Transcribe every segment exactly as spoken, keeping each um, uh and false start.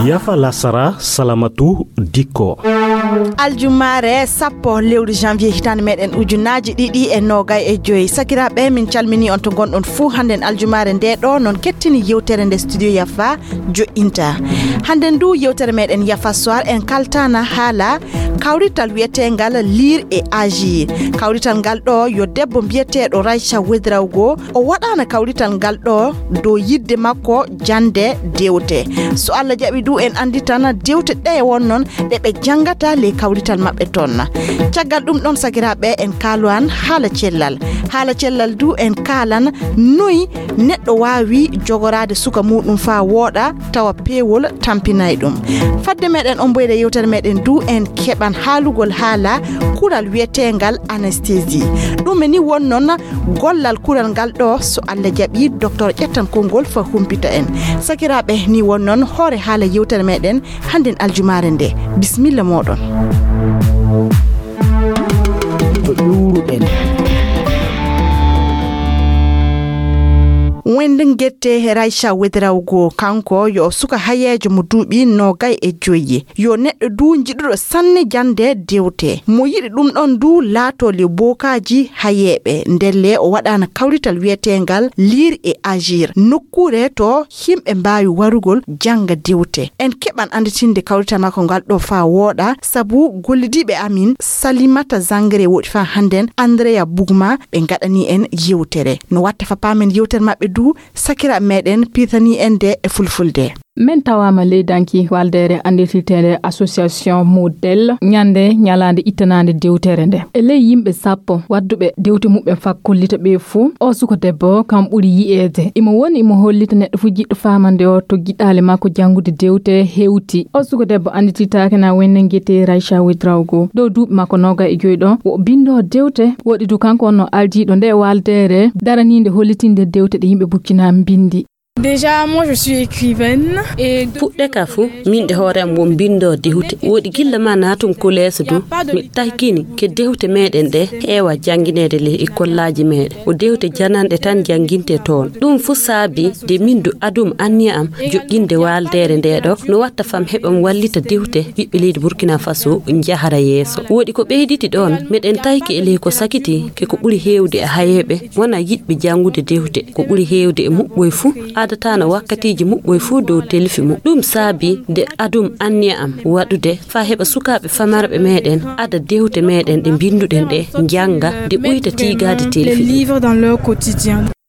Yafa lasara, Salamatu Dikko. Aljumaare sappo lewru janvier hitaande meɗen ujunaaji ɗiɗi e noogay e joyi. Sakiraaɓe, min calminii on to ngonɗon fuu. Hannden aljumaare ndee ɗoo noon kettini yewtere nde Studio Yafa joƴƴinta. Hannden du yewtere meɗen Yafa Soir en kaltaana haala kawrital wiyeteengal Lire et Agir. Kawrital ngal ɗoo yo debbo mbiyeteeɗo Raicha Ouedraogo, o waɗaana kawrital ngal ɗoo dow yiɗde makko jannde dewte. So Allah jaɓi du en annditana dewte ɗe wonnoon ɗe ɓe janngata ley kawrital maɓɓe toon. Caggal ɗum ɗoon, sakiraaɓe, en kaalan haala cellal. Haala cellal du en kaalan noy neɗɗo waawi jogoraade suka muuɗum faa wooɗa tawa peewol tampinay ɗum. Fadde meɗen omboyde yewtere meɗen du en keɓan haalugol haala kural wiyeteengal anesthésie. Ɗum e ni wonnoon gollal kural ngal ɗoo, so Allah jaɓi, docteur ƴettan konngol faa humpita en. Sakiraaɓe, ni wonnoon hoore haala yewtere meɗen hannden aljumaare nde. Bisimilla mooɗon. Ko ƴuuruɗen. Wonde ngette Raicha Ouedraogo, kanko yo suka hayeejo mo duuɓi noogay e joyi. Yo neɗɗo du jiɗuɗo sanne jannde dewte. Mo yiɗi ɗum ɗoon du laatoo ley bookaaji hayeeɓe. Ndelle o waɗaana kawrital wiyeteengal Lire et Agir. Nokkuure to yimɓe mbaawi warugol jannga dewte. En keɓan annditinde kawrital makko ngal ɗoo faa wooɗa, sabu gollidiiɓe amin Salimata Zangre woɗi faa hannden Andrea Bugma ɓe ngaɗani en yewtere. No watta faa paamen yewtere maɓɓe du, sakiraaɓe meɗen pirtanii en nde e fulfulde. Min tawaama ley danki waaldeere anndirteende Association Model ñande ñalaande ittanaande dewtere nde. E ley yimɓe sappo wadduɓe dewte muɓɓen faa kollita ɓe fuu, o suka debbo kam ɓuri yi'eede. Imo woni imo hollita neɗɗo fuu jiɗɗo faamande o to giɗaale makko janngude dewte hewti. O suka debbo anndititaake na wonde ngete Raicha Ouedraogo. Dow duuɓi makko noogay e joyi ɗo, o binndoo dewte, woɗi du kanko wonno ardiiɗo nde waaldeere daraniinde hollitinde dewte ɗe yimɓe Burkina mbinndi. Déjà, moi, je suis écrivaine et de- Puɗɗe ka fuu, min de hoore am won binndoo dewte. Woɗi gilla ma naatum kolees du, mi taykini ke dewte meɗen ɗe heewa janngineede ley ikkollaaji meɗen. Ko dewte jananɗe tan jannginte toon. Ɗum fuu saabi de min du adum anniya am joƴƴinde waaldeere nde ɗo, no watta fam heɓam wallita dewte ɓiɓɓe leydi Burkina Faso njahara yeeso. Woɗi ko ɓeyditi ɗoon, meɗen tayki e ley ko sakiti ke ko ɓuri heewde e hayeeɓe wona yiɗɓe janngude dewte. Ko ɓuri heewde e muɓɓoy fuu adataana wakkatiiji muɓɓoy fuu dow telfi mum. Ɗum saabi de adum anniya am waɗude faa heɓa sukaaɓe famarɓe meɗen ada dewte meɗen ɗe mbinnduɗen ɗe njannga de ɓuyta tiigaade telfi ɗi.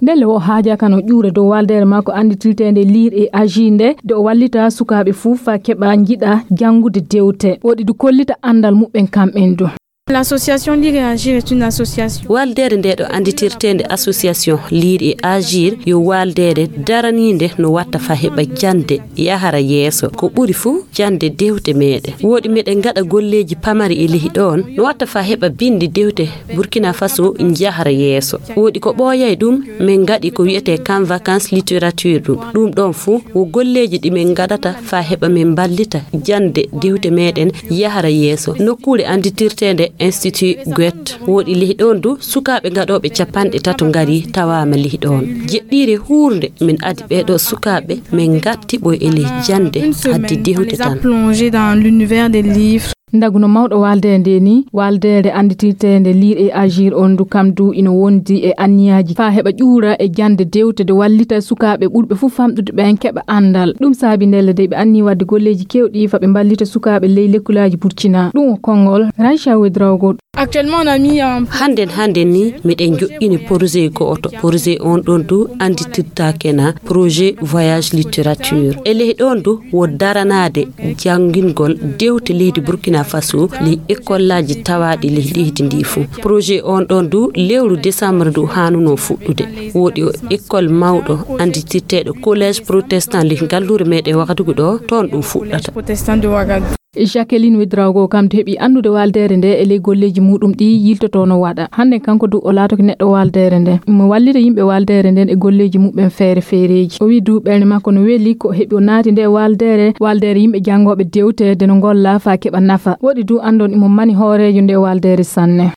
Ndelle o haajaaka no ƴuura dow waaldeere makko annditirteende Lire et Agir nde, de o wallita sukaaɓe fuu faa keɓa njiɗa janngude dewte. Woɗi du kollita anndal muɓɓen kamɓen du. L'association Lire et Agir est une association. Waaldeere nde ɗo annditirteende association Lire et Agir yo waaldeere daraniinde no watta faa heɓa jannde yahara yeeso. Ko ɓuri fuu jannde dewte meɗen. Woɗi meɗen ngaɗa golleeji pamari e lehi ɗoon, no watta faa heɓa binndi dewte Burkina Faso njahra yeeso. Woɗi ko ɓooyay ɗum, min ngaɗi ko wiyetee Camp Vacances Littérature ɗum. Ɗum ɗoon fuu wo golleeji ɗi min ngaɗata faa heɓa min mballita jannde dewte meɗen yahra yeeso. Nokkuure annditirteende Institut Goethe. Woɗi lehi ɗoon du, sukaaɓe gaɗooɓe capanɗe tato ngari tawaama lehi ɗoon. Jeɗɗiire huurnde min adi ɓee ɗoo sukaaɓe, min ngatti ɓoy e ley jannde haddi dewte tan. Plongé dans l'univers des livres. Ndagu no mawɗo waaldeere nde ni, waaldeere annditirteende Lire et Agir on du kam du ina wondi e anniyaaji faa heɓa ƴuura e jannde dewte de wallita sukaaɓe ɓurɓe fuu famɗude ɓeen keɓa anndal. Ɗum saabi ndelle de ɓe anni waɗde golleeji keewɗi faa ɓe mballita sukaaɓe ley lekkulaaji Burkina. Ɗum o konngol Raicha Ouedraogo. Actuellement, on a mis en Hannden, hannden ni, miɗen joƴƴini projet go'oto. Projet on ɗon du annditirtaake na projet Voyage Littérature. E ley ɗon du wo daranaade janngingol dewte leydi Burkina Faso ley ekkollaaji tawaaɗi ley leydi ndi fuu. Projet on ɗon du lewru décembre ndu haanunoo fuɗɗude. Woodi o ekkol mawɗo annditirteeɗo Collège Protestant ley ngalluure meɗen Wagadugu ɗo, toon ɗum fuɗɗata. Protestant de Ouagadougou. Jacqueline Ouedraogo kam heɓi anndude waaldeere nde e ley golleeji muuɗum ɗi yiltotoo no waɗa. Hannde kanko du o laatoke neɗɗo waaldeere nde. Mo wallita yimɓe waaldeere nden e golleeji muɓɓen feere feereeji. O wi'i du ɓernde makko no weli ko heɓi o naati nde waaldeere, waaldeere yimɓe janngooɓe dewte de no ngolla faa keɓa nafa. Woɗi du anndon imo mani hooreejo nde waaldeere sanne.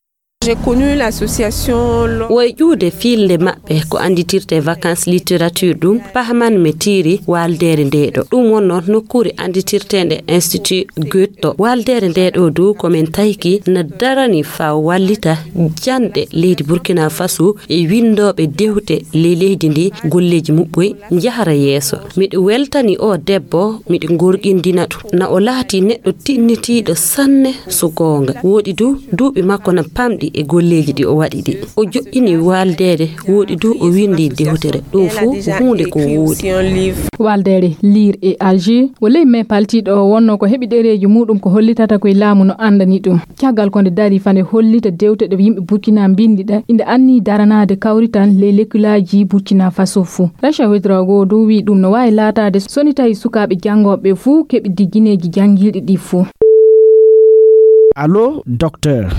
J'ai connu l'association lo- Woy ƴuude fiilnde maɓɓe ko annditirte vacances littérature ɗum, pahman mi tiiri waaldeere nde ɗo. Ɗum wonno nokkuure annditirteende Institut Goethe. Waaldeere nde ɗo dow ko men tayki na darani faa wallita janɗe leydi Burkina Faso e winndooɓe dewte ley leydi ndi golleeji muɓɓoy njahara yeeso. Miɗo weltani o debbo, miɗo ngorqindina ɗum. Na o laati neɗɗo tinnitiiɗo sanne so goonga. Woɗi du, duuɓi makko na pamɗi e golleeji ɗi o waɗi ɗi. O joɗɗini waaldeede, woɗi du o winndi dewtere. Ɗum fuu ko huunde ko wooɗi. Waaldeede Lire et Agir, o ley me paltiiɗo o wonno ko heɓi ɗereeji muɗum ko hollitata koye laamu no anndani ɗum. Caggal ko nde dari fa nde hollita dewte ɗe yimɓe Burkina mbinndi ɗe, inde anni daranaade kawrital ley lekkulaaji Burkina Faso fuu. Racha Ouedraogo du wi ɗum no waawi laataade so ni tawi sukaaɓe janngooɓe fuu keɓi diggineeji janngilɗi ɗi fuu. Allo, docteur.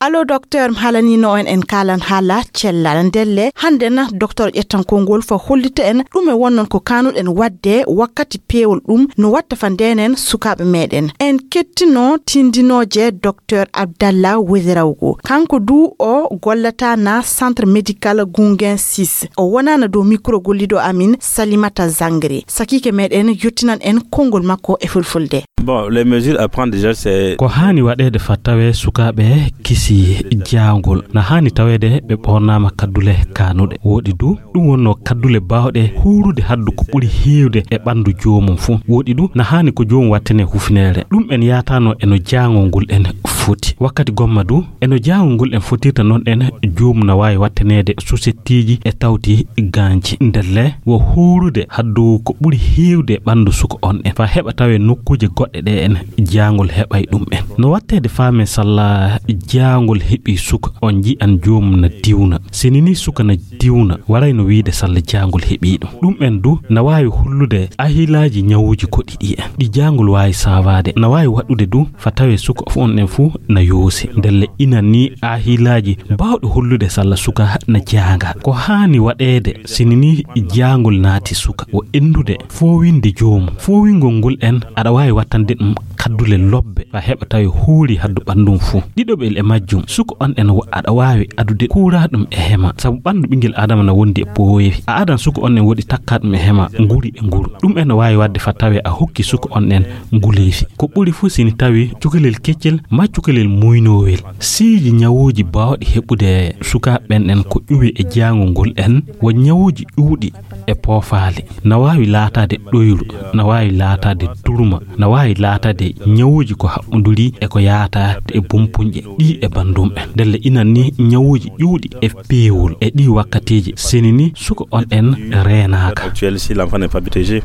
Allo, docteur, mi haalanino en, en kaalan haala cellal. Ndelle, hannde na, docteur ƴettan konngol fa hollita en ɗume wonnon ko kaanuɗen waɗde wakkati peewol ɗum no watta fa ndenen sukaaɓe meɗen. En kettino tindinooje docteur Abdallah Ouedraogo. Kanko du o gollata na centre médical Gungen six. O wonana dow micro golliɗo amin Salimata Zangri. Sakiike meɗen yottinan en konngol makko e fulfulde. Bon, les mesures à prendre déjà, c'est ko haani waɗeede fa tawe sukaaɓe kisi jaangol. Na haani taweede ɓe ɓornaama kaddule kaanuɗe. Woɗi du, ɗum wonno kaddule baawɗe huurude haddu ko ɓuri heewde e ɓanndu joomum fuu. Woɗi du, na haani ko joomum wattene hufineere. Ɗum en yaatano e no jaangol ngol en foti. Wakkati gomma du, e no jaangol ngol en fotirta noon en joomum na waawi wattaneede susettiiji e tawti gaanji. Ndelle, wo huurude haddu ko ɓuri heewde ɓanndu suka on en. Fa heɓa tawe nokkuuje goɗɗe ɗe en jaangol heɓay ɗum en. No watteede faame salla jaangol heɓi suka on nji'an joomum na diwna. Seni ni suka na diwna, waray no wiide salla jaangol heɓi ɗum. Ɗum en du na waawi hollude ahilaaji ñawuuji ko ɗiɗi en. Ɗi jaangol waawi saawaade. Na waawi waɗude du fa tawe suka on en fuu na yoosi. Ndelle inan ni ahilaaji baawɗi hollude salla suka na jaanga. Ko haani waɗeede seni ni jaangol naati suka. Wo inndude foowinde joomum. Foowingol ngol en aɗa waawi wattande ɗum kaddule lobbe, fa heɓa tawi huuri haddu ɓanndum fuu. Ɗiɗoɓel e majjum, suka on en wo-, aɗa waawi adude kuuraa ɗum e hema, sabu ɓanndu ɓinngel Aadama na wondi e pooweefi. A adan suka on en woɗi takkaa ɗum e hema, nguri e nguru. Ɗum en no waawi waɗde fa tawe a hokki suka on en nguleefi. Ko ɓuri fuu sini tawi cukalel keccel maa cukalel muynoowel. Siiji ñawuuji baawɗi heɓude sukaaɓe ɓen en ko ƴuwi e jaangol ngol en, wo ñawuuji ƴuuɗi e poofaali, na waawi laataade ɗoyru, na waawi laataade durma, na waawi laataade ñawuuji ko haɓɓonduri e ko yaataade e bumpuñƴe ɗi e banndum en. Ndelle inan ni ñawuuji ƴuuɗi e peewol e ɗi wakkatiiji, seni ni suka on en reenaaka. Actuel, si l'enfant n'est pas protégé.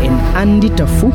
En anndita fuu.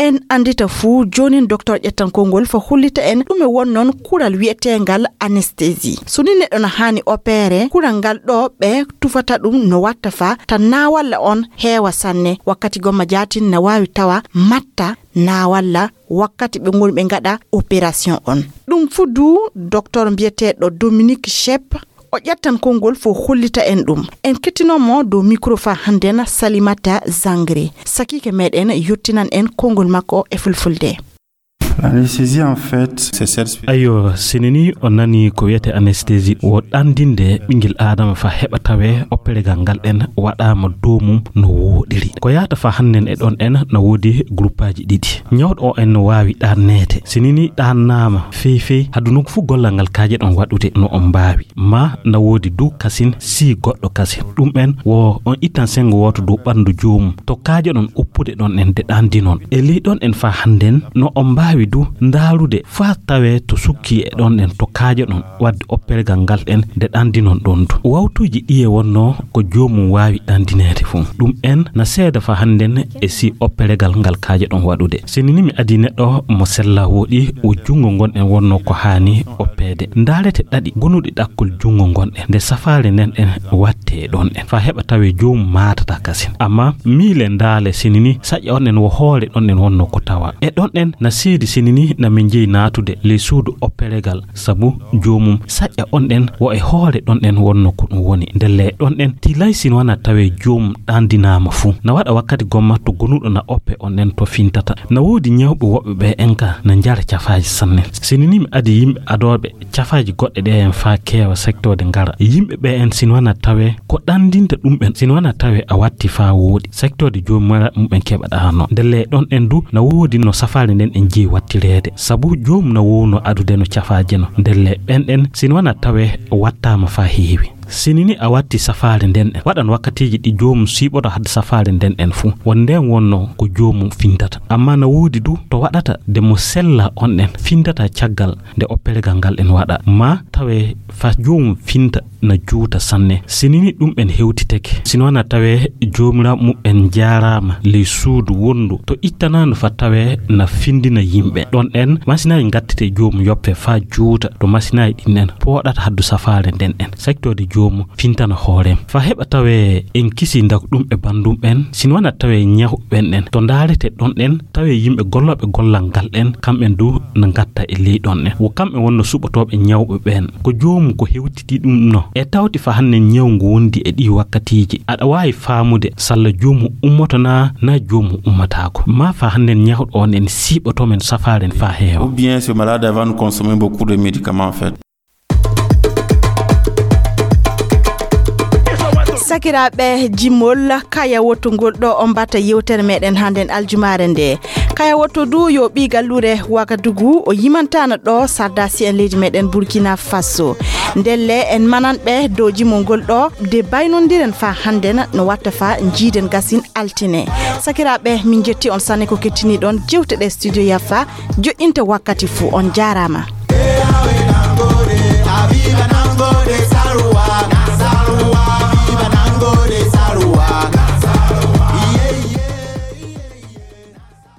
En anndita fuu, joonin docteur ƴettan konngol fa hollita en ɗume wonnon kural wi'eteengal anesthésie. So ni neɗɗo na haani opérer, kural ngal ɗo ɓe tufata ɗum no watta fa ta naawalla on heewa sanne. Wakkati gomma jaatin na waawi tawa matta naawalla wakkati ɓe ngoni ɓe ngaɗa opération on. Ɗum fuu du, docteur mbiyeteeɗo Dominique Shep, o ƴettan konngol fo hollita en ɗum. En kettinoo mo dow micro fa hannden Salimata Zangri. Sakiike meɗen yottinan en konngol makko e fulfulde. L'anesthésie, en fait, c'est celle spé- Ayo, sini ni o nani ko wiyete anesthésie, wo ɗandinde ɓinngel Aadama fa heɓa tawe opperegal ngal en waɗaama dow mum no wooɗiri. Ko yahata fa hannden e ɗon en na woodi gruppaaji ɗiɗi. Ñawɗo o en no waawi ɗanneede. Sini ni ɗannaama fey fey, haddu nokku fuu gollal ngal kaaje ɗon waɗude no on mbaawi. Ma na woodi du kasin si goɗɗo kasin. Ɗum en wo on ittan senngo wooto dow ɓanndu joomum. To kaaje ɗon uppude ɗon en de ɗandinon. E ley ɗon en fa hannden no on mbaawi du ndaarude fa tawe to sukki e ɗon en to kaaje ɗon waɗde opperegal ngal en de ɗandinon ɗon du. Wawtuuji ɗiye wonno ko joomum waawi ɗandineede fuu. Ɗum en na seeda fa hannden e si opperegal ngal kaaje ɗon waɗude. Sini ni mi adii neɗɗo mo sella wooɗi o junngo ngon en wonno ko haani oppeede. Ndaarete ɗaɗi gonuɗi ɗakkol junngo ngon en. Nde safaare nden en watte ɗon en. Fa heɓa tawe joomum maatata kasin. Amma miile ndaale sini ni saƴa on en wo hoore ɗon en wonno ko tawa. E ɗon en na seedi Sinini na min jeyi naatude ley suudu opperegal, sabu joomum saƴƴa on ɗen wo e hoore ɗon ɗen wonno ko ɗum woni. Ndelle ɗon ɗen tilay sino wona tawe joomum ɗaandinaama fuu. Na waɗa wakkati gomma to gonuɗo na oppe on ɗen to fintata. Na woodi ñawɓe woɓɓe ɓe en ka na njara cafaaji sanne. Sinini mi adi yimɓe adooɓe cafaaji goɗɗe ɗe en faa keewa sektoode ngara. Yimɓe ɓe en sino wona tawe ko ɗaandinta ɗum ɓen, sino wona tawe a watti faa wooɗi. Sektoode joomum mara mum ɓen keɓaɗaano. Ndelle ɗon ɗen du na woodi no safaare nden en jeyi wattireede. Sabu joomum na wowno adude no cafaaje no. Ndelle ɓen ɗen sino wona tawe wattaama faa heewi. Sinini a watti safaare nden en. Waɗan wakkatiiji ɗi joomum siiɓoto hadde safaare nden en fuu. Won nden wonno ko joomum fintata. Amma na woodi du to waɗata de mo sella on ɗen fintata caggal nde opperegal ngal en waɗa. Ma tawe faa joomum finta na juuta sanne. Sinini ɗum en hewtitake. Sino wona tawe joomiraaɓe mum en njaaraama ley suudu wondu to ittanaandu faa tawe na findina yimɓe. Ɗon en masinaaji ngattete joomum yoppe faa juuta to masinaaji ɗin en pooɗata haddu safaare nden en. Sektoode joomum fintana hoore. Faa heɓa tawe en kisi ndak ɗum e bandum ɓen. Sino wona tawe ñaw ɓen ɗen. To ndaarete ɗon ɗen, tawe yimɓe gollooɓe gollal ngal ɗen, kamɓen du na ngatta e ley ɗon ɗen. Wo kamɓe wonno suɓotooɓe ñawɓe ɓen. Ko joomum ko hewtiti ɗum no. E tawti faa hannden ñaw ngu wondi e ɗii wakkatiiji. Aɗa waawi faamude salla joomum ummoto naa, naa joomum ummataako. Ma faa hannden ñawɗo on en siiɓoto men safaare en faa heewa. Ou bien ce malade avant de consommer beaucoup de médicaments en fait. Sakiraaɓe, jimol kaya wottungol ɗo on mbatta yewtere meɗen hannden aljumaare nde. Kaya wotto du yo ɓii gallure Wagadugu o yimantana ɗo sardasi en leydi meɗen Burkina Faso. Ndelle en mananɓe dow jimol ngol ɗo de baynondiren faa hannden no watta faa njiiden gasin altine. Sakiraaɓe, min jetti on sanne ko kettini ɗon jewte ɗe studio Yafa joɗɗinta wakkati fuu. On jaaraama.